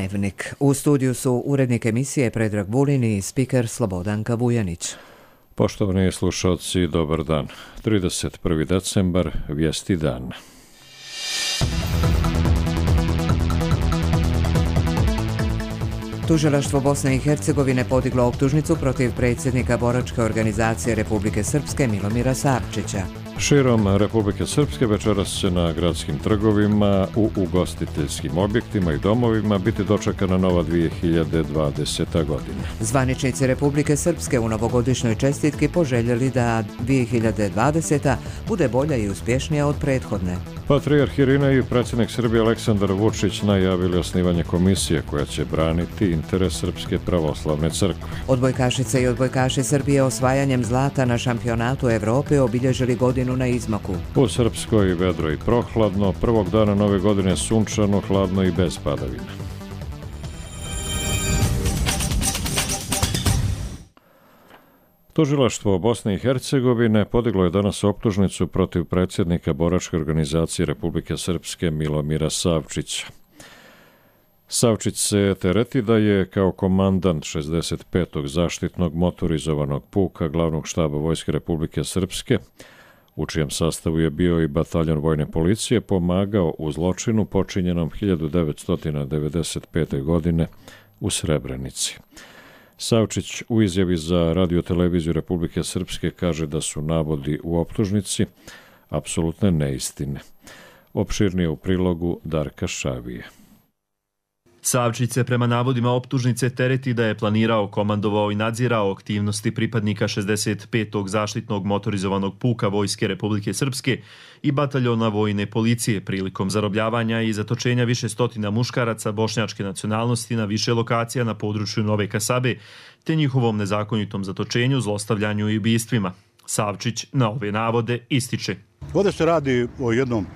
Dnevnik. U studiju su urednik emisije Predrag Vulin i spiker Slobodanka Vujanić. Poštovani slušalci, dobar dan. 31. decembar, vijesti dan. Tužilaštvo Bosne i Hercegovine podiglo optužnicu protiv predsjednika boračke organizacije Republike Srpske Milomira Savčića. Širom Republike Srpske večeras će na gradskim trgovima, u ugostiteljskim objektima i domovima biti dočekana nova 2020. godina. Zvaničnici Republike Srpske u novogodišnjoj čestitki poželjeli da 2020. bude bolja i uspješnija od prethodne. Patrijarh Irinej i predsjednik Srbije Aleksandar Vučić najavili osnivanje komisije koja će braniti interes Srpske pravoslavne crkve. Odbojkašice i odbojkaši Srbije osvajanjem zlata na šampionatu Evrope obilježili godinu na izmaku. U Srpskoj vedro i prohladno, prvog dana nove godine sunčano, hladno i bez padavina. Tužilaštvo Bosne i Hercegovine podiglo je danas optužnicu protiv predsjednika boračke organizacije Republike Srpske Milomira Savčića. Savčić se tereti da je kao komandant 65. zaštitnog motorizovanog puka glavnog štaba Vojske Republike Srpske, u čijem sastavu je bio i bataljon vojne policije, pomagao u zločinu počinjenom 1995. godine u Srebrenici. Savčić u izjavi za radioteleviziju Republike Srpske kaže da su navodi u optužnici apsolutne neistine. Opširnije u prilogu Darka Šavije. Savčić se prema navodima optužnice tereti da je planirao, komandovao i nadzirao aktivnosti pripadnika 65. zaštitnog motorizovanog puka Vojske Republike Srpske i bataljona vojne policije prilikom zarobljavanja i zatočenja više stotina muškaraca bošnjačke nacionalnosti na više lokacija na području Nove Kasabe, te njihovom nezakonitom zatočenju, zlostavljanju i ubistvima. Savčić na ove navode ističe: Ovdje se radi o jednom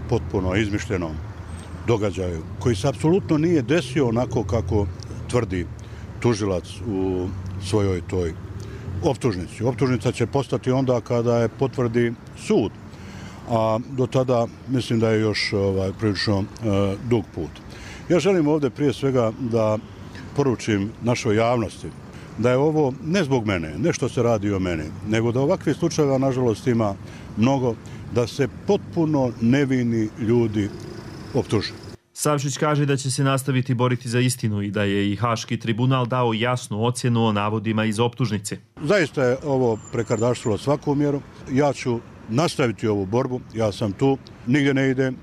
potpuno izmišljenom događaju koji se apsolutno nije desio onako kako tvrdi tužilac u svojoj toj optužnici. Optužnica će postati onda kada je potvrdi sud, a do tada mislim da je još prilično dug put. Ja želim ovdje prije svega da poručim našoj javnosti da je ovo ne zbog mene, ne što se radi o meni, nego da ovakvih slučajeva nažalost ima mnogo, da se potpuno nevini ljudi optuže. Savčić kaže da će se nastaviti boriti za istinu i da je i Haški tribunal dao jasnu ocjenu o navodima iz optužnice. Zaista je ovo prekardašilo svaku mjeru. Ja ću nastaviti ovu borbu, ja sam tu, nigdje ne idem.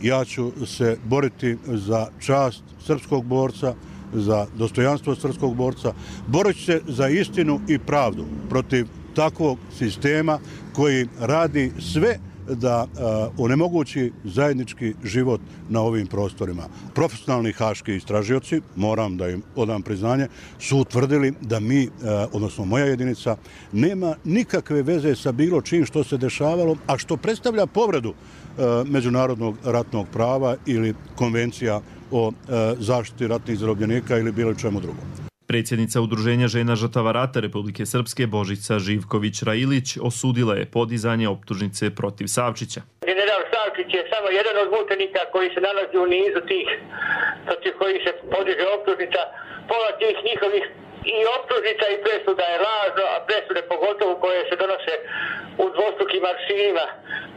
Ja ću se boriti za čast srpskog borca, za dostojanstvo srpskog borca. Borit ću se za istinu i pravdu protiv takvog sistema koji radi sve da onemogući zajednički život na ovim prostorima. Profesionalni haški istražioci, moram da im odam priznanje, su utvrdili da mi, odnosno moja jedinica, nema nikakve veze sa bilo čim što se dešavalo, a što predstavlja povredu međunarodnog ratnog prava ili konvencija o zaštiti ratnih zarobljenika ili bilo čemu drugom. Predsjednica Udruženja žena žrtava rata Republike Srpske Božica Živković-Railić osudila je podizanje optužnice protiv Savčića. General Savčić je samo jedan od mučenika koji se nalazi u nizu tih protiv kojih se podiže optužnica. Pola tih njihovih i optužnica i presuda je lažno, a presude pogotovo koje se donose u dvostrukim aršinima.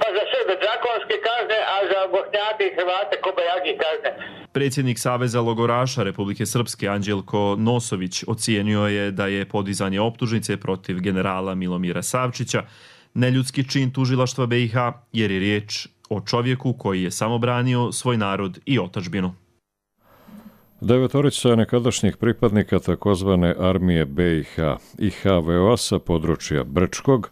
Pa za Srbe drakonske kazne, a za Bošnjake i Hrvate kobajagi kazne. Predsjednik Saveza logoraša Republike Srpske Anđelko Nosović ocijenio je da je podizanje optužnice protiv generala Milomira Savčića neljudski čin tužilaštva BiH, jer je riječ o čovjeku koji je samo branio svoj narod i otadžbinu. 9 nekadašnjih pripadnika takozvane armije BiH i HVO sa područja Brčkog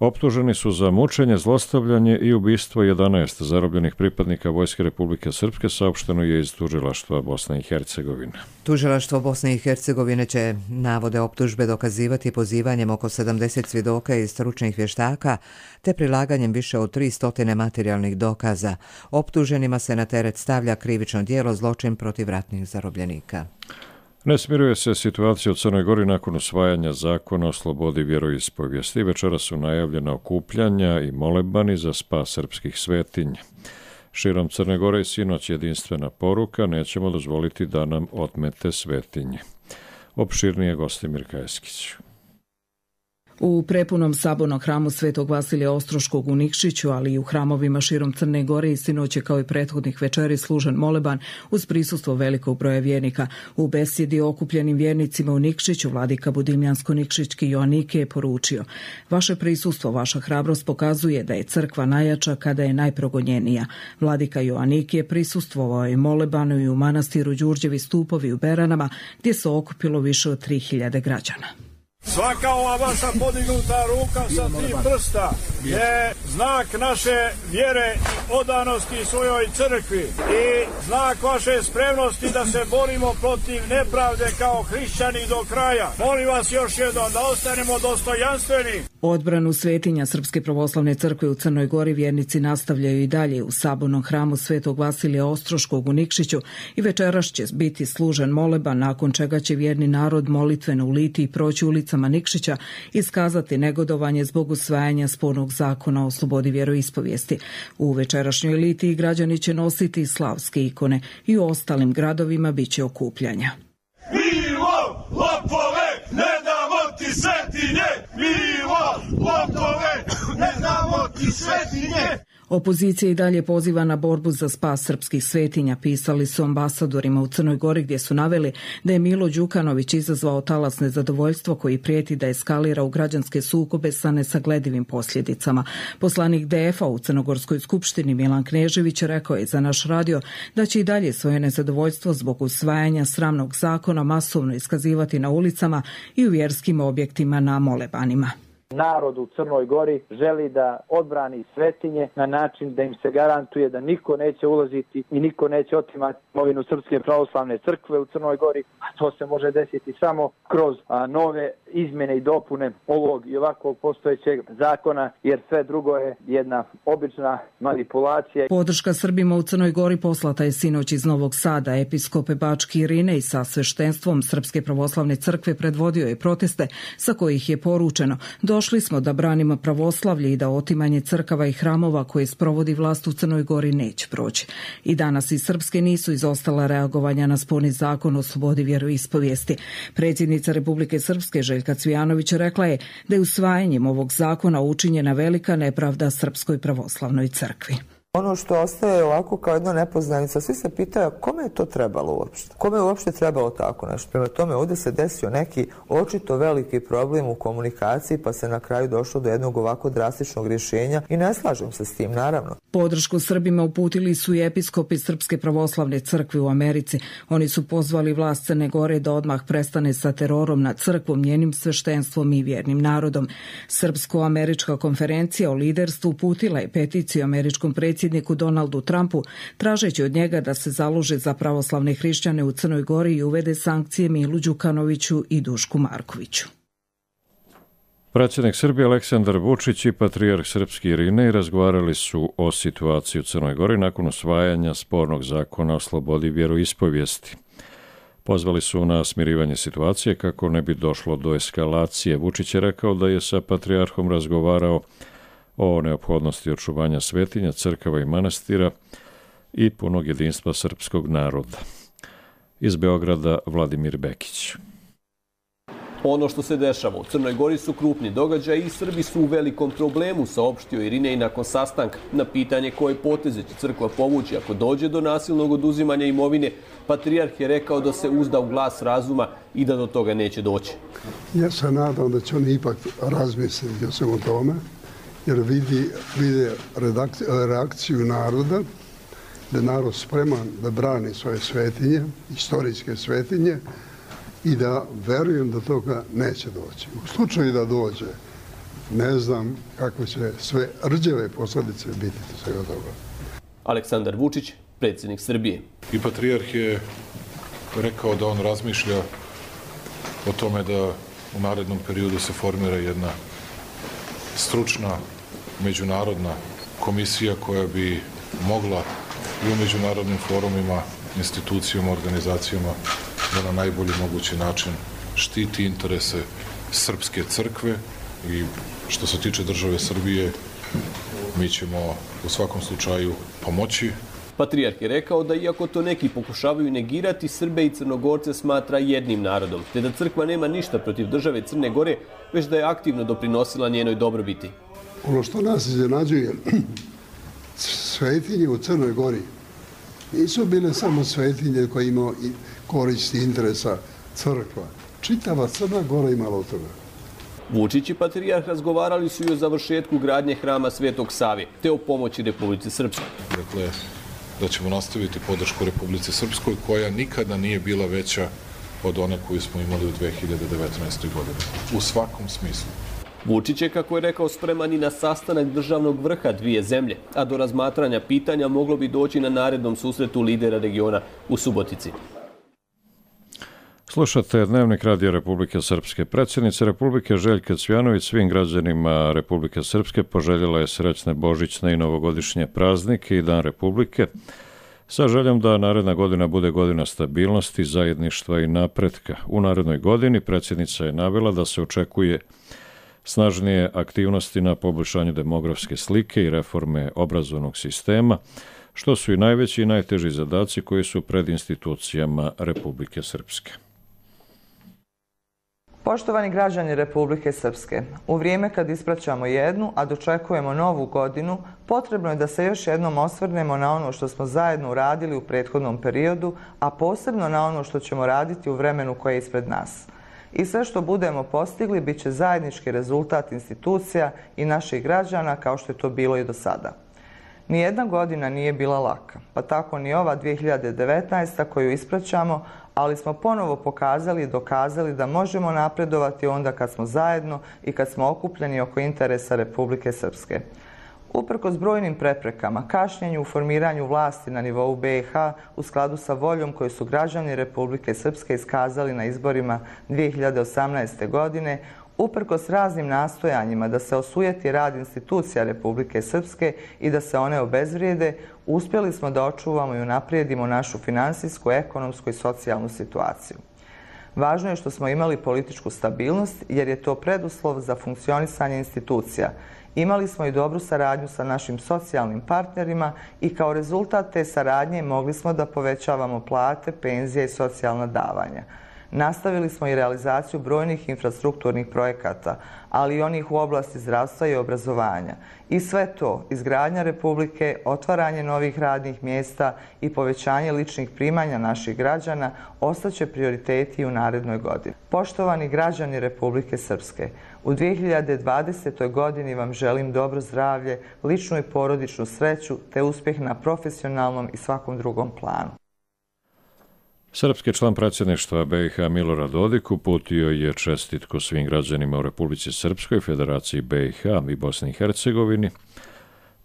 optuženi su za mučenje, zlostavljanje i ubistvo 11 zarobljenih pripadnika Vojske Republike Srpske, saopšteno je iz Tužilaštva Bosne i Hercegovine. Tužilaštvo Bosne i Hercegovine će navode optužbe dokazivati pozivanjem oko 70 svjedoka i stručnih vještaka, te prilaganjem više od 300 materijalnih dokaza. Optuženima se na teret stavlja krivično djelo zločin protiv ratnih zarobljenika. Ne smiruje se situacija u Crnoj Gori nakon usvajanja zakona o slobodi vjeroispovijesti. Večera su najavljena okupljanja i molebani za spas srpskih svetinja. Širom Crne Gore i sinoć jedinstvena poruka: nećemo dozvoliti da nam otmete svetinje. Opširnije Gostimir Kajeskić. U prepunom sabornom hramu Svetog Vasilija Ostroškog u Nikšiću, ali i u hramovima širom Crne Gore i sinoć je kao i prethodnih večeri služen moleban uz prisustvo velikog broja vjernika. U besjedi okupljenim vjernicima u Nikšiću vladika Budimljansko-Nikšićki Joanike je poručio: vaše prisustvo, vaša hrabrost pokazuje da je crkva najjača kada je najprogonjenija. Vladika Joanike je prisustvovao i molebanu i u manastiru Đurđevi stupovi u Beranama, gdje se okupilo više od 3000 građana. Svaka ova vaša podignuta ruka sa 3 prsta je znak naše vjere i odanosti svojoj crkvi i znak vaše spremnosti da se borimo protiv nepravde kao hrišćani do kraja. Molim vas još jednom da ostanemo dostojanstveni. Odbranu svetinja Srpske pravoslavne crkve u Crnoj Gori vjernici nastavljaju i dalje u sabornom hramu Svetog Vasilija Ostroškog u Nikšiću i večeras će biti služen moleban, nakon čega će vjerni narod molitveno uliti i proći ulicama Nikšića i iskazati negodovanje zbog usvajanja spornog zakona o slobodi vjeroispovijesti. U večerašnjoj litiji građani će nositi slavske ikone i u ostalim gradovima bit će okupljanja. Milo, lopove, ne damo ti svetinje! Milo, lopove, ne damo ti svetinje! Opozicija i dalje poziva na borbu za spas srpskih svetinja, pisali su ambasadorima u Crnoj Gori, gdje su naveli da je Milo Đukanović izazvao talas nezadovoljstvo koji prijeti da eskalira u građanske sukobe sa nesagledivim posljedicama. Poslanik DF-a u Crnogorskoj skupštini Milan Knežević rekao je za naš radio da će i dalje svoje nezadovoljstvo zbog usvajanja sramnog zakona masovno iskazivati na ulicama i u vjerskim objektima na molebanima. Narod u Crnoj Gori želi da odbrani svetinje na način da im se garantuje da niko neće ulaziti i niko neće otimati imovinu Srpske pravoslavne crkve u Crnoj Gori, a to se može desiti samo kroz nove izmjene i dopune ovog i ovakvog postojećeg zakona, jer sve drugo je jedna obična manipulacija. Podrška Srbima u Crnoj Gori poslata je sinoć iz Novog Sada. Episkop Bački Irinej sa sveštenstvom Srpske pravoslavne crkve predvodio je proteste sa kojih je poručeno: došli smo da branimo pravoslavlje i da otimanje crkava i hramova koje sprovodi vlast u Crnoj Gori neće proći. I danas iz Srpske nisu izostala reagovanja na sporni zakon o slobodi vjeroispovijesti. Predsjednica Republike Srpske Željka Cvijanović rekla je da je usvajanjem ovog zakona učinjena velika nepravda Srpskoj pravoslavnoj crkvi. Ono što ostaje ovako kao jedna nepoznanica, svi se pitaju kome je to trebalo uopšte? Kome je uopšte trebalo tako nešto? Prema tome, ovdje se desio neki očito veliki problem u komunikaciji, pa se na kraju došlo do jednog ovako drastičnog rješenja i ne slažem se s tim, naravno. Podršku Srbima uputili su i episkopi Srpske pravoslavne crkve u Americi. Oni su pozvali vlast Crne Gore da odmah prestane sa terorom nad crkvom, njenim sveštenstvom i vjernim narodom. Srpsko-američka konferencija o liderstvu uputila je peticiju američkom predsjedniku Donaldu Trumpu, tražeći od njega da se založe za pravoslavne hrišćane u Crnoj Gori i uvede sankcije Milu Đukanoviću i Dušku Markoviću. Predsjednik Srbije Aleksandar Vučić i patrijarh srpski Irinej razgovarali su o situaciji u Crnoj Gori nakon usvajanja spornog zakona o slobodi vjeroispovijesti. Pozvali su na smirivanje situacije kako ne bi došlo do eskalacije. Vučić je rekao da je sa patrijarhom razgovarao o neophodnosti očuvanja svetinja, crkava i manastira i punog jedinstva srpskog naroda. Iz Beograda Vladimir Bekić. Ono što se dešava u Crnoj Gori su krupni događaji i Srbi su u velikom problemu, saopštio Irinej nakon sastanka. Na pitanje koje poteze će crkva povući ako dođe do nasilnog oduzimanja imovine, patrijarh je rekao da se uzda u glas razuma i da do toga neće doći. Ja se nadam da će oni ipak razmisliti o svemu tome, jer vide reakciju naroda, da je narod spreman da brani svoje svetinje, istorijske svetinje, i da verujem da toga neće doći. U slučaju da dođe, ne znam kakve će sve rđave posljedice biti svega toga. Aleksandar Vučić, predsjednik Srbije. I patrijarh je rekao da on razmišlja o tome da u narednom periodu se formira jedna stručna međunarodna komisija koja bi mogla i u međunarodnim forumima, institucijama, organizacijama da na najbolji mogući način štiti interese srpske crkve i što se tiče države Srbije, mi ćemo u svakom slučaju pomoći Patrijarh je rekao da iako to neki pokušavaju negirati, Srbe i Crnogorce smatra jednim narodom, te da crkva nema ništa protiv države Crne Gore, već da je aktivno doprinosila njenoj dobrobiti. Ono što nas iznenađuje, svetinje u Crnoj Gori nisu bile samo svetinje koje imaju koristi interesa crkva. Čitava Crna Gora imala od toga. Vučić i patrijarh razgovarali su i o završetku gradnje hrama Svetog Save, te o pomoći Republici Srpskoj. Dakle, da ćemo nastaviti podršku Republici Srpskoj, koja nikada nije bila veća od one koju smo imali u 2019. godini. U svakom smislu. Vučić je, kako je rekao, spreman i na sastanak državnog vrha dvije zemlje, a do razmatranja pitanja moglo bi doći na narednom susretu lidera regiona u Subotici. Slušate Dnevnik Radija Republike Srpske. Predsjednica Republike Željka Cvjanović svim građanima Republike Srpske poželjela je srećne božićne i novogodišnje praznike i Dan Republike, sa željom da naredna godina bude godina stabilnosti, zajedništva i napretka. U narednoj godini predsjednica je navela da se očekuje snažnije aktivnosti na poboljšanju demografske slike i reforme obrazovnog sistema, što su i najveći i najteži zadaci koji su pred institucijama Republike Srpske. Poštovani građani Republike Srpske, u vrijeme kad ispraćamo jednu, a dočekujemo novu godinu, potrebno je da se još jednom osvrnemo na ono što smo zajedno uradili u prethodnom periodu, a posebno na ono što ćemo raditi u vremenu koje je ispred nas. I sve što budemo postigli bit će zajednički rezultat institucija i naših građana, kao što je to bilo i do sada. Nijedna godina nije bila laka, pa tako ni ova 2019. koju ispraćamo, ali smo ponovo pokazali i dokazali da možemo napredovati onda kad smo zajedno i kad smo okupljeni oko interesa Republike Srpske. Uprkos brojnim preprekama, kašnjenju u formiranju vlasti na nivou BiH u skladu sa voljom koju su građani Republike Srpske iskazali na izborima 2018. godine, uprkos raznim nastojanjima da se osujeti rad institucija Republike Srpske i da se one obezvrijede, uspjeli smo da očuvamo i unaprijedimo našu finansijsku, ekonomsku i socijalnu situaciju. Važno je što smo imali političku stabilnost, jer je to preduslov za funkcionisanje institucija. Imali smo i dobru saradnju sa našim socijalnim partnerima i kao rezultat te saradnje mogli smo da povećavamo plate, penzije i socijalna davanja. Nastavili smo i realizaciju brojnih infrastrukturnih projekata, ali i onih u oblasti zdravstva i obrazovanja. I sve to, izgradnja Republike, otvaranje novih radnih mjesta i povećanje ličnih primanja naših građana ostaće prioriteti u narednoj godini. Poštovani građani Republike Srpske, u 2020. godini vam želim dobro zdravlje, ličnu i porodičnu sreću te uspjeh na profesionalnom i svakom drugom planu. Srpski član predsjedništva BiH Milorad Dodik uputio je čestitku svim građanima u Republici Srpskoj, Federaciji BiH i Bosni i Hercegovini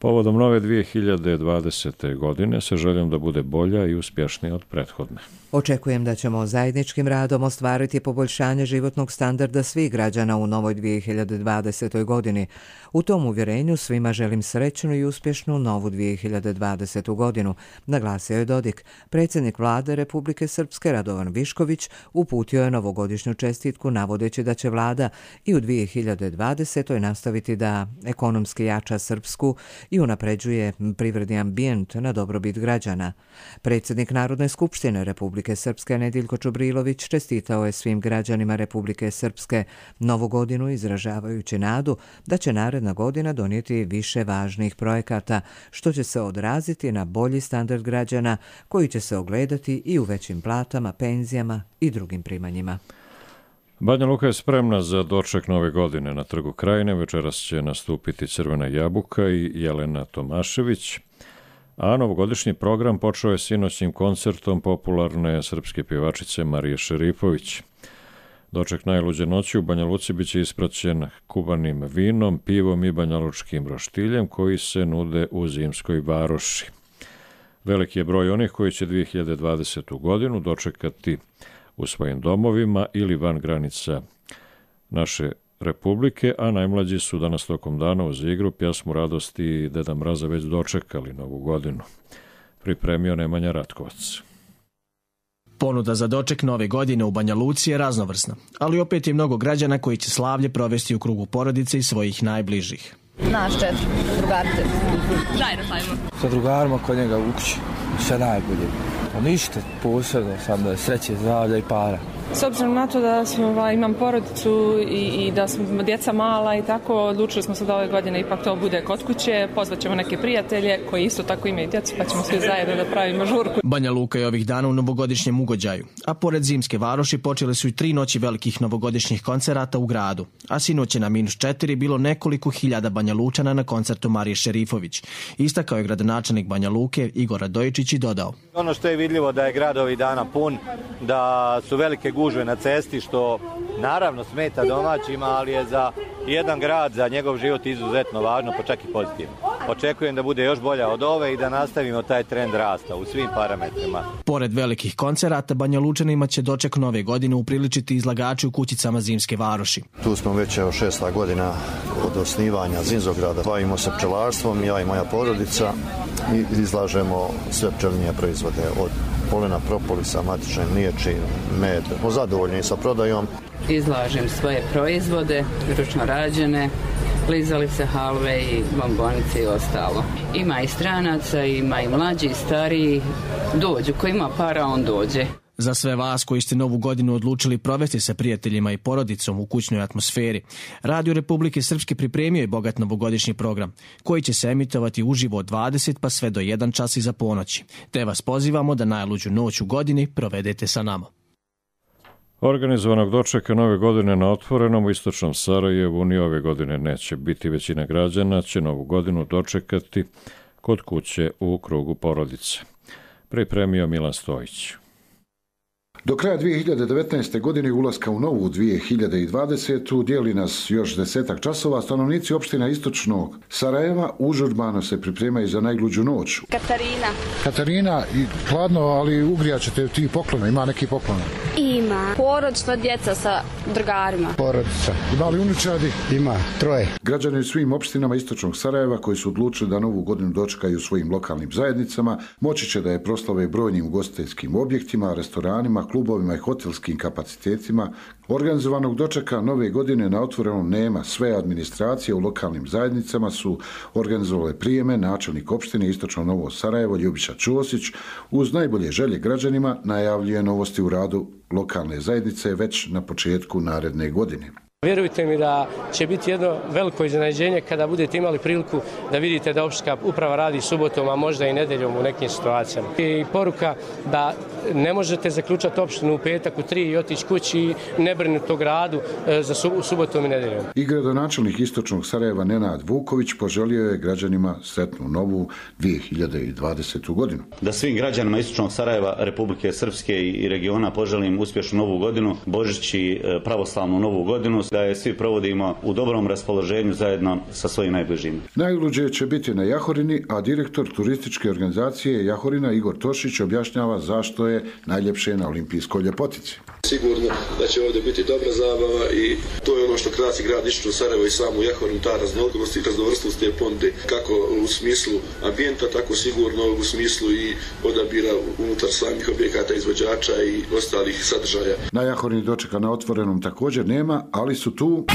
povodom nove 2020. godine sa željom da bude bolja i uspješnija od prethodne. Očekujem da ćemo zajedničkim radom ostvariti poboljšanje životnog standarda svih građana u novoj 2020. godini. U tom uvjerenju svima želim srećnu i uspješnu novu 2020. godinu, naglasio je Dodik. Predsjednik vlade Republike Srpske Radovan Višković uputio je novogodišnju čestitku navodeći da će vlada i u 2020. nastaviti da ekonomski jača Srpsku i unapređuje privredni ambijent na dobrobit građana. Predsjednik Narodne skupštine Republike Srpske Nediljko Čubrilović čestitao je svim građanima Republike Srpske novu godinu izražavajući nadu da će naredna godina donijeti više važnih projekata, što će se odraziti na bolji standard građana koji će se ogledati i u većim platama, penzijama i drugim primanjima. Banja Luka je spremna za doček nove godine. Na Trgu Krajine večeras će nastupiti Crvena jabuka i Jelena Tomašević, a novogodišnji program počeo je sinoćnim koncertom popularne srpske pjevačice Marije Šerifović. Doček najluđe noći u Banja Luci biće ispraćen kuvanim vinom, pivom i banjalučkim roštiljem koji se nude u Zimskoj varoši. Veliki je broj onih koji će 2020. godinu dočekati u svojim domovima ili van granica naše Republike, a najmlađi su danas tokom dana uz igru, pjesmu radosti i Deda Mraza već dočekali novu godinu. Pripremio Nemanja Ratkovac. Ponuda za doček nove godine u Banja Luci je raznovrsna, ali opet je mnogo građana koji će slavlje provesti u krugu porodice i svojih najbližih. Naš 4, drugarice. Zajedno slavimo. Sa drugarima kod njega u kući. sve najbolje. Ništa posebno, samo sreće, zdravlja i para. S obzirom na to da imam porodicu i da smo djeca mala i tako, odlučili smo se da ove godine ipak to bude kod kuće, pozvat ćemo neke prijatelje koji isto tako imaju djecu, pa ćemo svi zajedno da pravimo žurku. Banja Luka je ovih dana u novogodišnjem ugođaju, a pored Zimske Varoši počele su i 3 noći velikih novogodišnjih koncerata u gradu, a sinoć je na -4 bilo nekoliko hiljada Banja Lučana na koncertu Marije Šerifović. Istakao je gradonačelnik Banja Luke Igor Radojičić i dodao: Ono što je vidljivo da je grad ovih dana pun, da su velike gužve na cesti, što naravno smeta domaćima, ali je za jedan grad, za njegov život izuzetno važno, pa čak i pozitivno. Očekujem da bude još bolja od ove i da nastavimo taj trend rasta u svim parametrima. Pored velikih koncerata, Banja Lučanima će doček nove godine upriličiti izlagači u kućicama Zimske Varoši. Tu smo već 6. godina od osnivanja Zimzograda. Bavimo se pčelarstvom, ja i moja porodica, i izlažemo sve pčelinje proizvode od polena, propolisa, matične mliječi, med. Smo zadovoljni sa prodajom. Izlažem svoje proizvode, ručno rađene, klizalice, halve i bombonice i ostalo. Ima i stranaca, ima i mlađi i stariji. Dođu, ko ima para, on dođe. Za sve vas koji ste novu godinu odlučili provesti sa prijateljima i porodicom u kućnoj atmosferi, Radio Republike Srpske pripremio je bogat novogodišnji program, koji će se emitovati uživo od 20 pa sve do 1 čas iza ponoći. Te vas pozivamo da najluđu noć u godini provedete sa nama. Organizovanog dočeka nove godine na otvorenom u istočnom Sarajevu ni ove godine neće biti. Većina građana će novu godinu dočekati kod kuće u krugu porodice. Pripremio Milan Stojić. Do kraja 2019. godine ulaska u novu 2020. dijeli nas još 10 časova. Stanovnici opština istočnog Sarajeva užurbano se pripremaju za najluđu noć. Katarina, hladno, ali ugrijat ćete ti poklona. Ima neki poklona? Ima. Porodična djeca sa drugarima. Porodica. Ima li unučadi? Ima. 3. Građani u svim opštinama istočnog Sarajeva koji su odlučili da novu godinu dočekaju u svojim lokalnim zajednicama moći će da je proslave brojnim ugostiteljskim objektima, restoranima, klubovima i hotelskim kapacitetima. Organizovanog dočeka nove godine na otvorenom nema. Sve administracije u lokalnim zajednicama su organizovale prijeme. Načelnik opštine Istočno Novo Sarajevo Ljubiša Ćosić uz najbolje želje građanima najavljuje novosti u radu lokalne zajednice već na početku naredne godine. Vjerujte mi da će biti jedno veliko iznenađenje kada budete imali priliku da vidite da opštinska uprava radi subotom, a možda i nedeljom u nekim situacijama. I poruka da ne možete zaključati opštinu u petak u 3 i otići kući i ne brinuti o gradu za subotom i nedeljom. I gradonačelnik Istočnog Sarajeva Nenad Vuković poželio je građanima sretnu novu 2020. godinu. Da svim građanima Istočnog Sarajeva, Republike Srpske i regiona poželim uspješnu novu godinu, Božić i pravoslavnu novu godinu, da je svi provodimo u dobrom raspoloženju zajedno sa svojim najbližim. Najluđe će biti na Jahorini, a direktor turističke organizacije Jahorina Igor Tošić objašnjava zašto je najljepše na olimpijskoj ljepotici. Sigurno da će ovdje biti dobra zabava i to je ono što krasi grad Istočno Sarajevo i samu Jahorinu, ta raznolikost i raznovrsnost te ponude, kako u smislu ambijenta, tako sigurno u smislu i odabira unutar samih objekata, izvođača i ostalih sadržaja. Na Jahorini dočeka na otvorenom također nema, ali su tu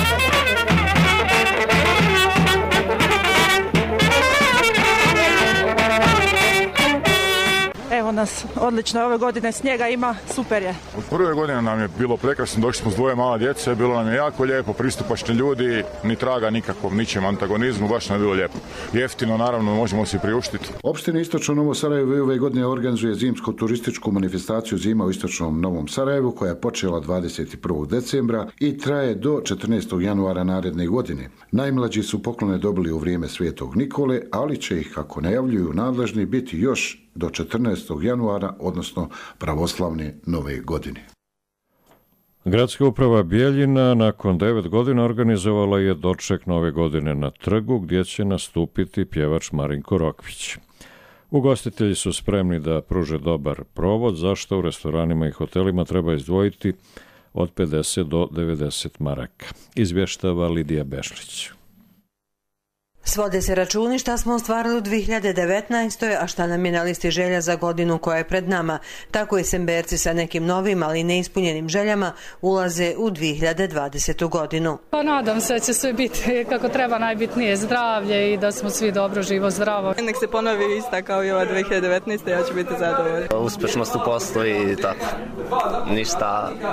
Evo nas, odlično, ove godine snijega ima, super je. Od prve godine nam je bilo prekrasno, došli smo s 2 mala djece, bilo nam je jako lijepo, pristupačni ljudi, ni traga nikakvom ničem antagonizmu, baš nam je bilo lijepo. Jeftino, naravno, možemo si priuštiti. Opština Istočno Novo Sarajevo ove godine organizuje zimsku turističku manifestaciju Zima u Istočnom Novom Sarajevu koja je počela 21. decembra i traje do 14. januara naredne godine. Najmlađi su poklone dobili u vrijeme Svetog Nikole, ali će ih, kako najavljuju nadležni, biti još do 14. januara, odnosno pravoslavne nove godine. Gradska uprava Bijeljina nakon 9 godina organizovala je doček nove godine na trgu gdje će nastupiti pjevač Marinko Rokvić. Ugostitelji su spremni da pruže dobar provod, zašto u restoranima i hotelima treba izdvojiti od 50 do 90 maraka. Izvještava Lidija Bešlić. Svode se računi šta smo ostvarili u 2019. a šta nam je na listi želja za godinu koja je pred nama. Tako i Semberci sa nekim novim, ali neispunjenim željama ulaze u 2020. godinu. Pa nadam se da će sve biti kako treba, najbitnije zdravlje i da smo svi dobro, živo, zdravo. Nek se ponovi ista kao i ova 2019. ja ću biti zadovoljna. Uspešnost u poslu i tako.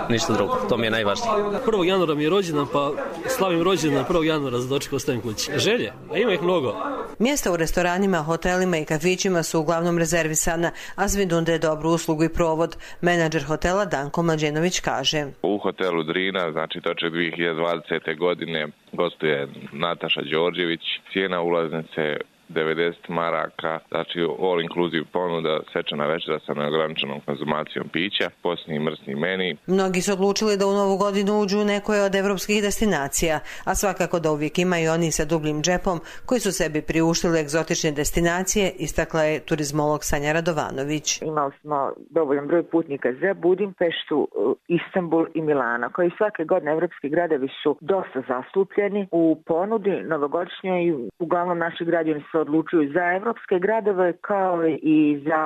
Ništa drugo. To mi je najvažnije. 1. januara mi je rođendan, pa slavim rođendan 1. januara za doček ostavim kući. Želje? A ima ih mnogo. Mjesta u restoranima, hotelima i kafićima su uglavnom rezervisana, a svi nude dobru uslugu i provod. Menadžer hotela Danko Mlađenović kaže. U hotelu Drina, znači točak 2020. godine, gostuje Nataša Đorđević. Cijena ulaznice 90 maraka, znači all inclusive ponuda, svečana večera sa neograničenom konzumacijom pića, posljednji mrsni meni. Mnogi su odlučili da u novu godinu uđu u nekoj od evropskih destinacija, a svakako da uvijek imaju oni sa dubljim džepom koji su sebi priuštili egzotične destinacije, istakla je turizmolog Sanja Radovanović. Imali smo dovoljan broj putnika za Budimpeštu, Istanbul i Milano, koji svake godine evropski gradovi su dosta zastupljeni u ponudi novogodišnjoj i uglavnom naši građani se odlučuju za evropske gradove kao i za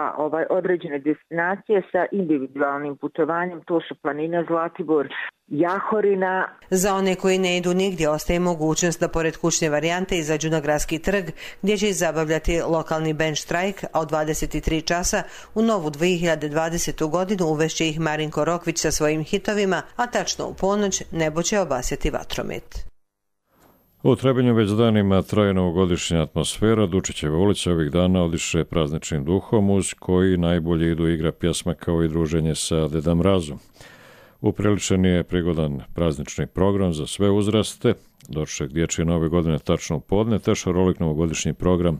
određene destinacije sa individualnim putovanjem. To su planine Zlatibor, Jahorina. Za one koji ne idu nigdje ostaje mogućnost da pored kućne varijante izađu na gradski trg gdje će zabavljati lokalni band Štrajk, a u 23 časa u novu 2020. godinu uvešće ih Marinko Rokvić sa svojim hitovima, a tačno u ponoć nebo će obasjati vatromet. U Trebinju već danima traje novogodišnja atmosfera. Dučićeva ulica ovih dana odiše prazničnim duhom uz koji najbolje idu igra pjesma kao i druženje sa Deda Mrazom. Upriličen je prigodan praznični program za sve uzraste, doček dječje nove godine tačno u podne, te šarolik novogodišnji program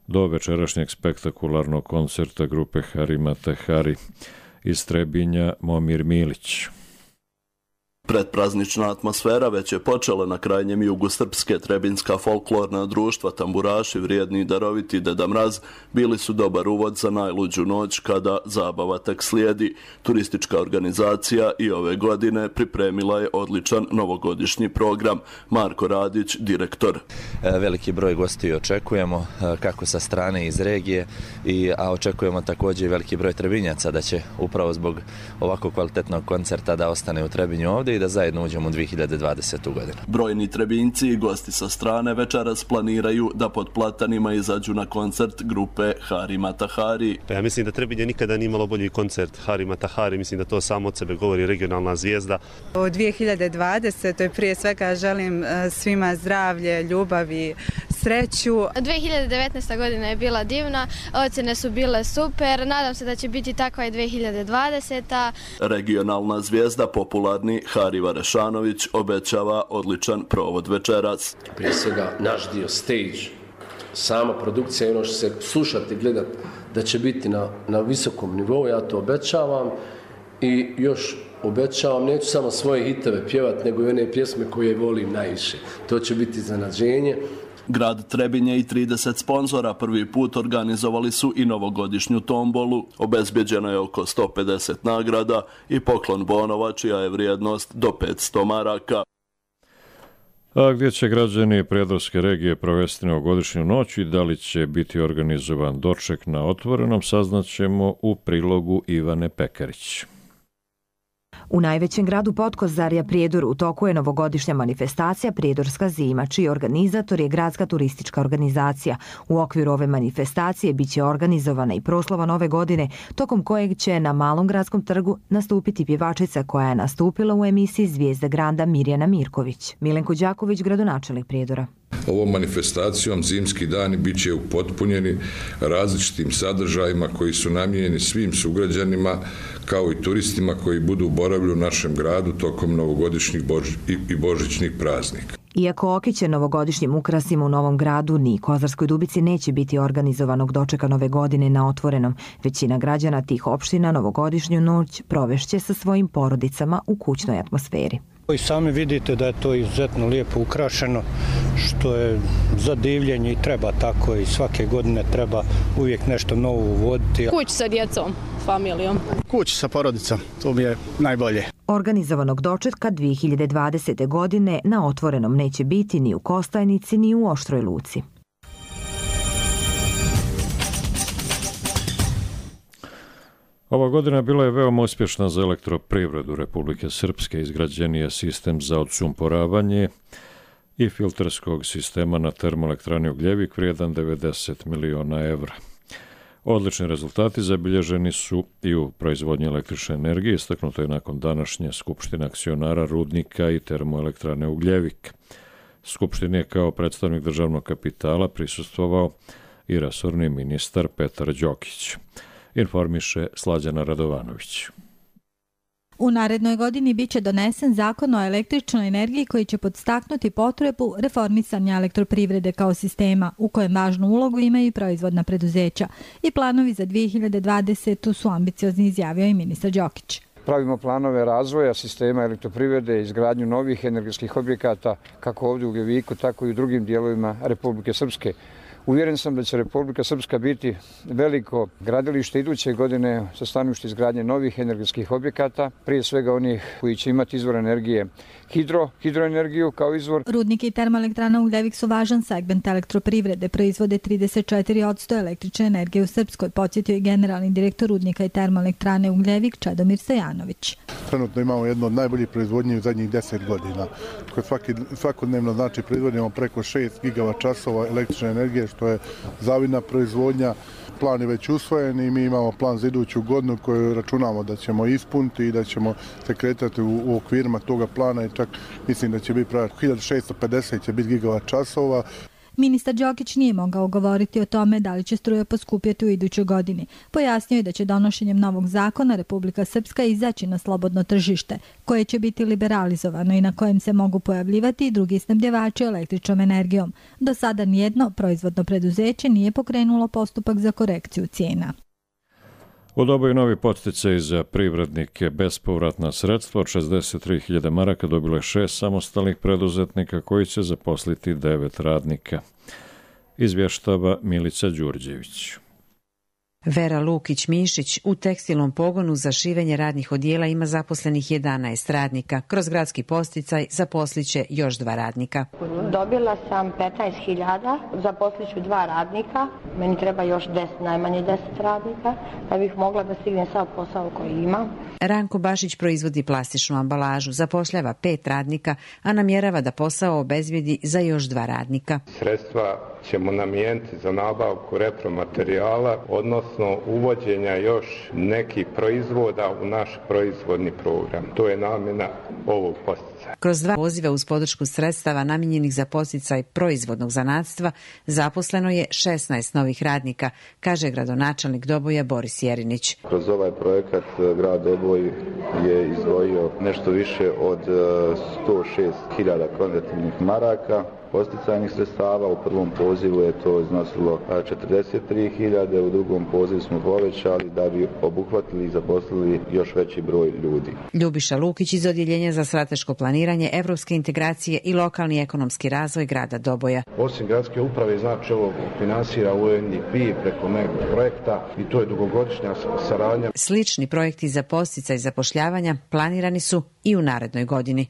do večerašnjeg spektakularnog koncerta grupe Hari Mata Hari iz Trebinja Momir Milić. Predpraznična atmosfera već je počela na krajnjem jugu Srpske. Trebinska folklorna društva, tamburaši, vrijedni i daroviti Deda Mraz bili su dobar uvod za najluđu noć kada zabava tek slijedi. Turistička organizacija i ove godine pripremila je odličan novogodišnji program. Marko Radić, direktor. Veliki broj gostiju očekujemo, kako sa strane iz regije, a očekujemo također i veliki broj Trebinjaca da će upravo zbog ovako kvalitetnog koncerta da ostane u Trebinju ovdje i da zajedno uđemo u 2020. godinu. Brojni Trebinjci i gosti sa strane večeras planiraju da pod platanima izađu na koncert grupe Hari Mata Hari. Ja mislim da Trebinje nikada nije imalo bolji koncert Hari Mata Hari, mislim da to samo od sebe govori regionalna zvijezda. U 2020. prije svega želim svima zdravlje, ljubav i sreću. 2019. godina je bila divna, ocjene su bile super, nadam se da će biti takva i 2020. Regionalna zvijezda, popularni Hariva Rešanović, obećava odličan provod večeras. Prije svega naš dio stage, sama produkcija i ono što se slušati, gledati da će biti na visokom nivou, ja to obećavam i još obećavam, neću samo svoje hitove pjevati, nego i one pjesme koje volim najviše. To će biti iznenađenje. Grad Trebinje i 30 sponzora prvi put organizovali su i novogodišnju tombolu. Obezbjeđeno je oko 150 nagrada i poklon bonova čija je vrijednost do 500 maraka. A gdje će građani Prijedorske regije provesti novogodišnju noć i da li će biti organizovan doček na otvorenom, saznaćemo u prilogu Ivane Pekarić. U najvećem gradu Potkozarja Prijedor u toku je novogodišnja manifestacija Prijedorska zima, čiji organizator je Gradska turistička organizacija. U okviru ove manifestacije biće organizovana i proslava nove godine, tokom kojeg će na Malom gradskom trgu nastupiti pjevačica koja je nastupila u emisiji Zvijezda Granda Mirjana Mirković. Milenko Đaković, gradonačelnik Prijedora. Ovom manifestacijom zimski dani bit će upotpunjeni različitim sadržajima koji su namijenjeni svim sugrađanima kao i turistima koji budu boravili u našem gradu tokom novogodišnjih i božićnih praznika. Iako okiće novogodišnjim ukrasima u Novom gradu, ni Kozarskoj Dubici neće biti organizovanog dočeka nove godine na otvorenom. Većina građana tih opština novogodišnju noć provešće sa svojim porodicama u kućnoj atmosferi. I sami vidite da je to izuzetno lijepo ukrašeno, što je za divljenje i treba tako i svake godine treba uvijek nešto novo uvoditi. Kuć sa djecom, familijom. Kuć sa porodicom, to mi je najbolje. Organizovanog dočetka 2020. godine na otvorenom neće biti ni u Kostajnici ni u Oštroj Luci. Ova godina bila je veoma uspješna za elektroprivredu Republike Srpske. Izgrađen je sistem za odsumporavanje i filterskog sistema na termoelektrani Ugljevik vrijedan 90 miliona evra. Odlični rezultati zabilježeni su i u proizvodnji električne energije, istaknuto je nakon današnje skupštine akcionara rudnika i termoelektrane Ugljevik. Skupštini je kao predstavnik državnog kapitala prisustvovao i resorni ministar Petar Đokić. Informiše Slađana Radovanović. U narednoj godini biće donesen zakon o električnoj energiji koji će podstaknuti potrebu reformisanja elektroprivrede kao sistema, u kojem važnu ulogu imaju i proizvodna preduzeća. I planovi za 2020. su ambiciozni, izjavio i ministar Đokić. Pravimo planove razvoja sistema elektroprivrede, izgradnju novih energetskih objekata, kako ovdje u Ugljeviku, tako i u drugim dijelovima Republike Srpske. Uvjeren sam da će Republika Srpska biti veliko gradilište iduće godine sa stanovišta izgradnje novih energetskih objekata, prije svega onih koji će imati izvor energije hidroenergiju kao izvor. Rudnik i termoelektrana Ugljevik su važan segment elektroprivrede, proizvode 34% električne energije u Srpskoj, podsjetio i generalni direktor rudnika i termoelektrane Ugljevik Čedomir Sejanović. Trenutno imamo jedno od najboljih proizvodnji u zadnjih 10 godina. Svakodnevno znači proizvodimo preko 6 gigavačasova električne energije, što je zavidna proizvodnja. Plan je već usvojen i mi imamo plan za iduću godinu koju računamo da ćemo ispuniti i da ćemo se kretati u okvirima toga plana i čak mislim da će biti 1650 će biti gigavat časova. Ministar Đokić nije mogao govoriti o tome da li će struja poskupjeti u idućoj godini. Pojasnio je da će donošenjem novog zakona Republika Srpska izaći na slobodno tržište, koje će biti liberalizovano i na kojem se mogu pojavljivati i drugi snabdjevači električnom energijom. Do sada nijedno proizvodno preduzeće nije pokrenulo postupak za korekciju cijena. Odobaju novi podsticaj za privrednike, bespovratna sredstva od 63.000 maraka dobilo je 6 samostalnih preduzetnika koji će zaposliti 9 radnika. Izvještava Milica Đurđević. Vera Lukić-Mišić u tekstilnom pogonu za šivenje radnih odijela ima zaposlenih 11 radnika. Kroz gradski podsticaj zaposliće još 2 radnika. Dobila sam 15.000, zaposliću 2 radnika. Meni treba još najmanje 10 radnika, da bih mogla da stignem sav posao koji imam. Ranko Bašić proizvodi plastičnu ambalažu, zapošljava 5 radnika, a namjerava da posao obezbijedi za još 2 radnika. Sredstva ćemo namijeniti za nabavku repromaterijala, odnosno uvođenja još nekih proizvoda u naš proizvodni program. To je namjena ovog podsticaja. Kroz 2 poziva uz podršku sredstava namijenjenih za podsticaj proizvodnog zanatstva zaposleno je 16 novih radnika, kaže gradonačelnik Doboja Boris Jerinić. Kroz ovaj projekat grad Doboj je izdvojio nešto više od 106.000 konvertibilnih maraka podsticajnih sredstava. U prvom pozivu je to iznosilo 43.000, u drugom pozivu smo povećali da bi obuhvatili i zaposlili još veći broj ljudi. Ljubiša Lukić iz Odjeljenja za strateško planiranje, evropske integracije i lokalni ekonomski razvoj grada Doboja. Osim gradske uprave, znači ovo finansira UNDP preko nekog projekta i to je dugogodišnja saradnja. Slični projekti za podsticaj zapošljavanja planirani su i u narednoj godini.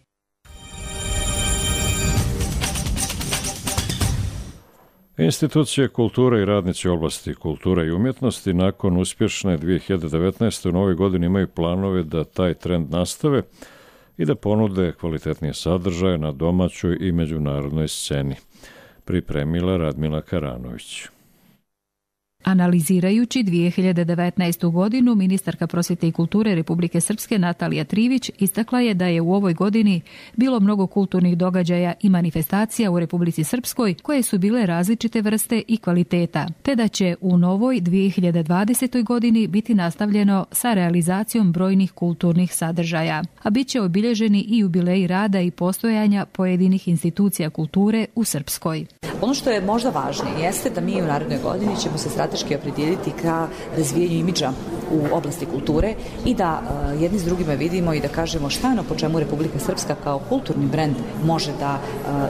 Institucije kulture i radnici u oblasti kulture i umjetnosti nakon uspješne 2019. u novoj godini imaju planove da taj trend nastave i da ponude kvalitetnije sadržaje na domaćoj i međunarodnoj sceni. Pripremila Radmila Karanović. Analizirajući 2019. godinu, ministarka prosvjete i kulture Republike Srpske Natalija Trivić istakla je da je u ovoj godini bilo mnogo kulturnih događaja i manifestacija u Republici Srpskoj koje su bile različite vrste i kvaliteta, te da će u novoj 2020. godini biti nastavljeno sa realizacijom brojnih kulturnih sadržaja, a bit će obilježeni i jubileji rada i postojanja pojedinih institucija kulture u Srpskoj. Ono što je možda važnije jeste da mi u narednoj godini ćemo se strateški opredijeliti ka razvijenju imidža u oblasti kulture i da jedni s drugima vidimo i da kažemo šta je ono po čemu Republika Srpska kao kulturni brend može da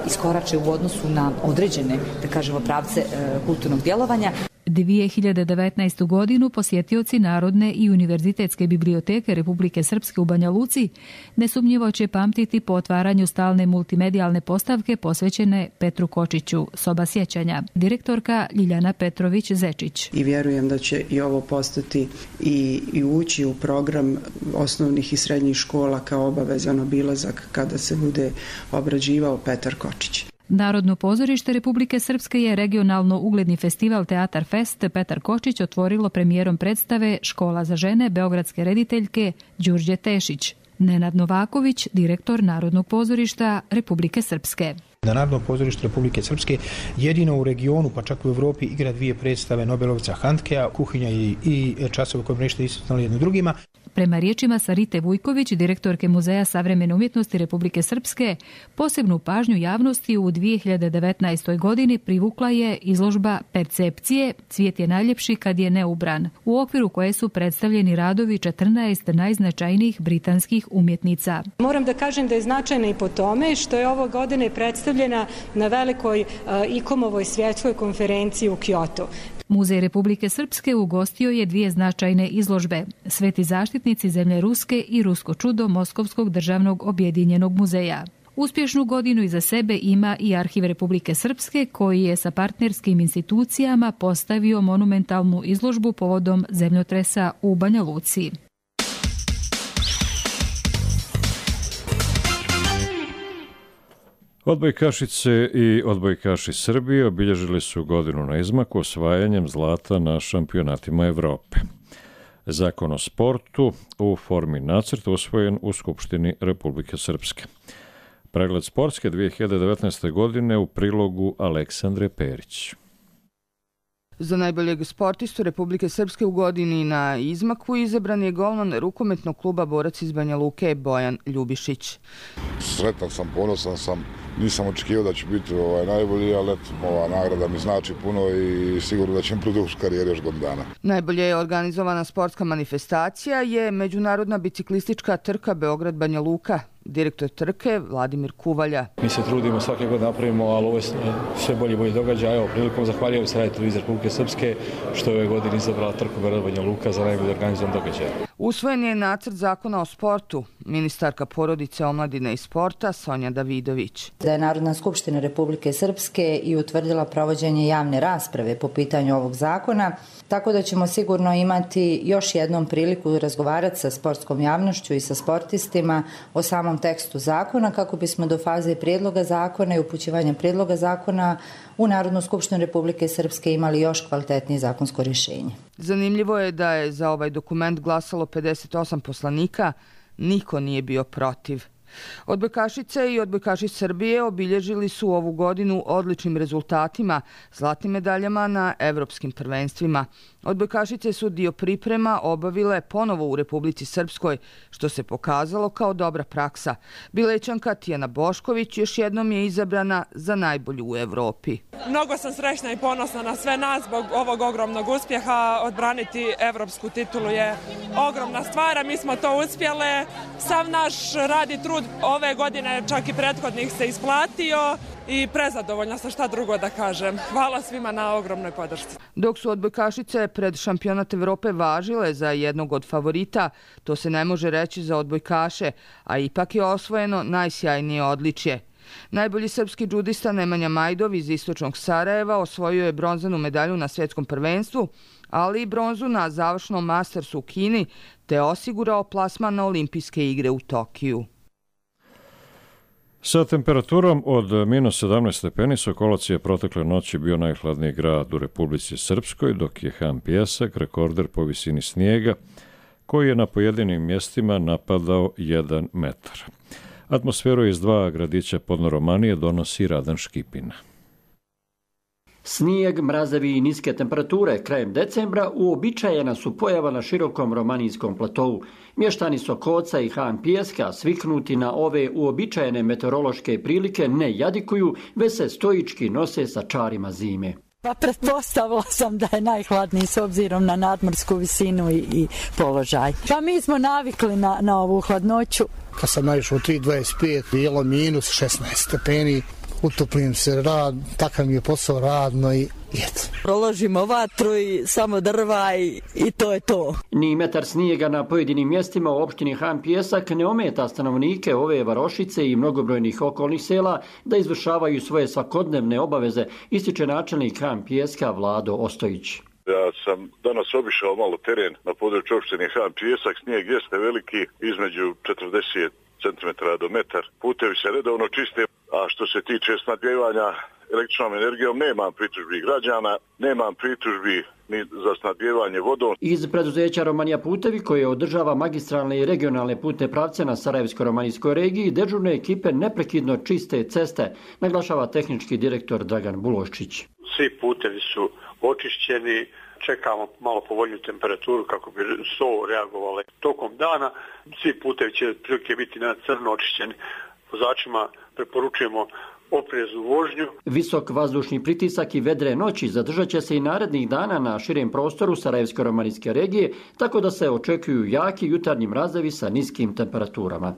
iskorače u odnosu na određene, da kažemo, pravce kulturnog djelovanja. 2019. godinu posjetioci Narodne i univerzitetske biblioteke Republike Srpske u Banja Luci nesumnjivo će pamtiti po otvaranju stalne multimedijalne postavke posvećene Petru Kočiću, Soba sjećanja. Direktorka Ljiljana Petrović-Zečić. I vjerujem da će i ovo postati i ući u program osnovnih i srednjih škola kao obavezan obilazak kada se bude obrađivao Petar Kočić. Narodno pozorište Republike Srpske je regionalno ugledni festival Teatar Fest Petar Kočić otvorilo premijerom predstave Škola za žene beogradske rediteljke Đurđe Tešić. Nenad Novaković, direktor Narodnog pozorišta Republike Srpske. Da Narodno pozorište Republike Srpske jedino u regionu, pa čak u Evropi, igra dvije predstave Nobelovca Handkea, Kuhinja i časove koje nešto isticali jedno drugima. Prema riječima Sarite Vujković, direktorke Muzeja savremene umjetnosti Republike Srpske, posebnu pažnju javnosti u 2019. godini privukla je izložba Percepcije, cvijet je najljepši kad je neubran, u okviru koje su predstavljeni radovi 14 najznačajnijih britanskih umjetnica. Moram da kažem da je značajna i po tome što je ove godine predstavljena na velikoj ICOM-ovoj svjetskoj konferenciji u Kyoto. Muzej Republike Srpske ugostio je dvije značajne izložbe, Sveti zaštitnici zemlje Ruske i Rusko čudo Moskovskog državnog objedinjenog muzeja. Uspješnu godinu iza sebe ima i Arhiv Republike Srpske, koji je sa partnerskim institucijama postavio monumentalnu izložbu povodom zemljotresa u Banja Luci. Odbojkašice i odbojkaši Srbije obilježili su godinu na izmaku osvajanjem zlata na šampionatima Evrope. Zakon o sportu u formi nacrta usvojen u Skupštini Republike Srpske. Pregled sportske 2019. godine u prilogu Aleksandre Perić. Za najboljeg sportistu Republike Srpske u godini na izmaku izabran je golman rukometnog kluba Borac iz Banja Luke Bojan Ljubišić. Sretan sam, ponosan sam, nisam očekivao da će biti najbolji, ali ova nagrada mi znači puno i sigurno da će produžiti karijeru još godinu dana. Najbolje je organizovana sportska manifestacija je međunarodna biciklistička trka Beograd-Banja Luka. Direktor trke Vladimir Kuvalja. Mi se trudimo svake godine napravimo, ali ovo je sve bolji događaj. Evo, prilikom zahvaljujem se Radio Televizije Republike Srpske što je ove godine izabrala trku Beograd-Banja Luka za najbolji organizovan događaj. Usvojen je nacrt zakona o sportu. Ministarka porodice, omladine i sporta Sonja Davidović. Da je Narodna skupština Republike Srpske i utvrdila provođenje javne rasprave po pitanju ovog zakona, tako da ćemo sigurno imati još jednom priliku razgovarati sa sportskom javnošću i sa sportistima o samom tekstu zakona kako bismo do faze prijedloga zakona i upućivanja prijedloga zakona u Narodnu skupštinu Republike Srpske imali još kvalitetnije zakonsko rješenje. Zanimljivo je da je za ovaj dokument glasalo 58 poslanika, niko nije bio protiv. Odbojkašice i odbojkaši Srbije obilježili su ovu godinu odličnim rezultatima, zlatnim medaljama na evropskim prvenstvima. Odbojkašice su dio priprema obavile ponovo u Republici Srpskoj, što se pokazalo kao dobra praksa. Bilećanka Tijana Bošković još jednom je izabrana za najbolju u Evropi. Mnogo sam srećna i ponosna na sve nas zbog ovog ogromnog uspjeha. Odbraniti evropsku titulu je ogromna stvar, a mi smo to uspjele. Sav naš rad i trud ove godine, čak i prethodnih, se isplatio i prezadovoljna sam, šta drugo da kažem. Hvala svima na ogromnoj podršci. Dok su odbojkašice pred šampionat Evrope važile za jednog od favorita, to se ne može reći za odbojkaše, a ipak je osvojeno najsjajnije odličje. Najbolji srpski džudista Nemanja Majdov iz istočnog Sarajeva osvojio je bronzanu medalju na svjetskom prvenstvu, ali i bronzu na završnom Mastersu u Kini, te osigurao plasman na olimpijske igre u Tokiju. Sa temperaturom od -17 stepeni Sokolac je protekle noći bio najhladniji grad u Republici Srpskoj, dok je Han Pijesak rekorder po visini snijega, koji je na pojedinim mjestima napadao 1 metar. Atmosferu iz 2 gradića Podnoromanije donosi Radan Škipina. Snijeg, mrazevi i niske temperature krajem decembra uobičajena su pojava na širokom romanijskom platovu. Mještani Sokoca i Han Pijeska, sviknuti na ove uobičajene meteorološke prilike, ne jadikuju, već se stoički nose sa čarima zime. Pa pretpostavila sam da je najhladniji s obzirom na nadmorsku visinu i položaj. Pa mi smo navikli na ovu hladnoću. Kad sam naišao u 3.25, bilo -16 stepeni, utoplim se, takav mi je posao, radno i eto. Proložimo vatru i samo drva i to je to. Ni metar snijega na pojedinim mjestima u opštini Han Pijesak ne ometa stanovnike ove varošice i mnogobrojnih okolnih sela da izvršavaju svoje svakodnevne obaveze, ističe načelnik Han Pijeska Vlado Ostojić. Ja sam danas obišao malo teren na području opštine Han Pijesak, snijeg jeste veliki, između 40 cm do metar. Putevi se redovno čiste, a što se tiče snabdijevanja električnom energijom, nemam pritužbi građana, nemam pritužbi ni za snabdijevanje vodom. Iz preduzeća Romanija putevi, koje održava magistralne i regionalne putne pravce na Sarajevsko-romanijskoj regiji, dežurne ekipe neprekidno čiste ceste, naglašava tehnički direktor Dragan Buloščić. Svi putevi su očišćeni, čekamo malo povoljniju temperaturu kako bi so reagovale tokom dana. Svi putevi će prilike biti na crno očišćeni. Vozačima preporučujemo opreznu vožnju. Visok vazdušni pritisak i vedre noći zadržat će se i narednih dana na širem prostoru Sarajevsko-romanijske regije, tako da se očekuju jaki jutarnji mrazevi sa niskim temperaturama.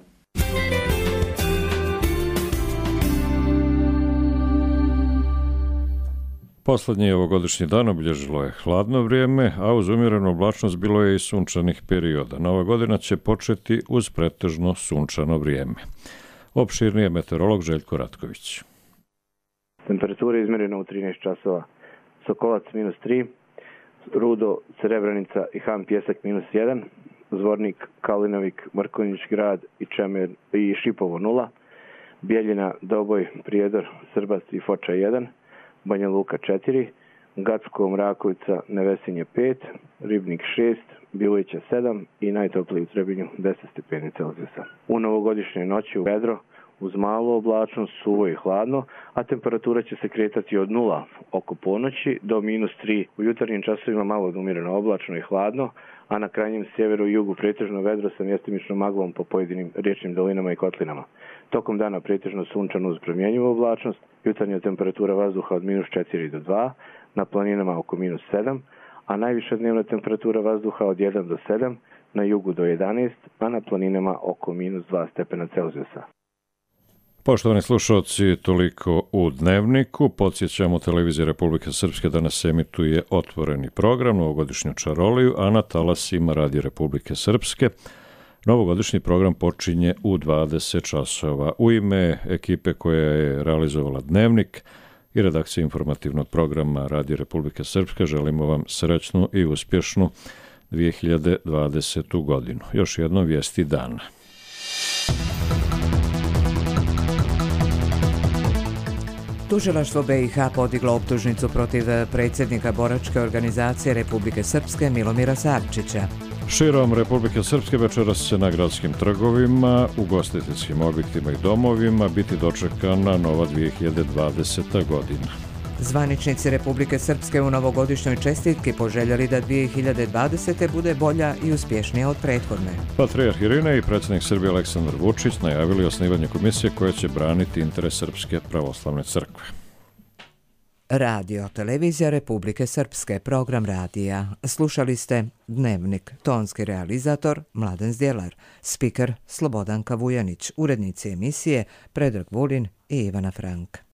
Poslednji ovogodišnji dan obilježilo je hladno vrijeme, a uz umjerenu oblačnost bilo je i sunčanih perioda. Nova godina će početi uz pretežno sunčano vrijeme. Opširnije meteorolog Željko Ratković. Temperatura je izmjerena u 13 časova. Sokolac -3, Rudo, Srebrenica i Han Pijesak -1, Zvornik, Kalinovik, Mrkonjić grad i Čemer i Šipovo 0, Bijeljina, Doboj, Prijedor, Srbac i Foča 1, Banja Luka 4, Gacko, Mrakovica, Nevesinje 5, Ribnik 6, Bilovića 7 i najtopliji u Trebinju 10 stepeni Celzijusa. U novogodišnjoj noći u vedro, uz malu oblačnost, suvo i hladno, a temperatura će se kretati od 0 oko ponoći do -3. U jutarnjim časovima malo umjereno oblačno i hladno, a na krajnjem sjeveru i jugu pretežno vedro sa mjestimičnom maglom po pojedinim riječnim dolinama i kotlinama. Tokom dana pretežno sunčano uz promjenjivu oblačnost, jutarnja temperatura vazduha od -4 do 2, na planinama oko -7, a najviša dnevna temperatura vazduha od 1 do 7, na jugu do 11, a na planinama oko -2 stepena Celzijusa. Poštovani slušalci, toliko u Dnevniku. Podsjećamo, televizija Republike Srpske danas emituje otvoreni program, novogodišnju čaroliju, a na talasima Radija Republike Srpske novogodišnji program počinje u 20 časova. U ime ekipe koja je realizovala Dnevnik i redakcije informativnog programa Radija Republike Srpske želimo vam srećnu i uspješnu 2020. godinu. Još jednom vijesti dana. Tužilaštvo BiH podiglo optužnicu protiv predsjednika boračke organizacije Republike Srpske Milomira Savčića. Širom Republike Srpske večeras će na gradskim trgovima, ugostiteljskim objektima i domovima biti dočekana nova 2020. godina. Zvaničnici Republike Srpske u novogodišnjoj čestitki poželjeli da 2020. bude bolja i uspješnija od prethodne. Patrijarh Irinej i predsjednik Srbije Aleksandar Vučić najavili osnivanje komisije koja će braniti interes Srpske pravoslavne crkve. Radio, televizija Republike Srpske, program radija. Slušali ste Dnevnik, tonski realizator Mladen Zdjelar, spiker Slobodanka Vujanić, urednici emisije Predrag Vulin i Ivana Frank.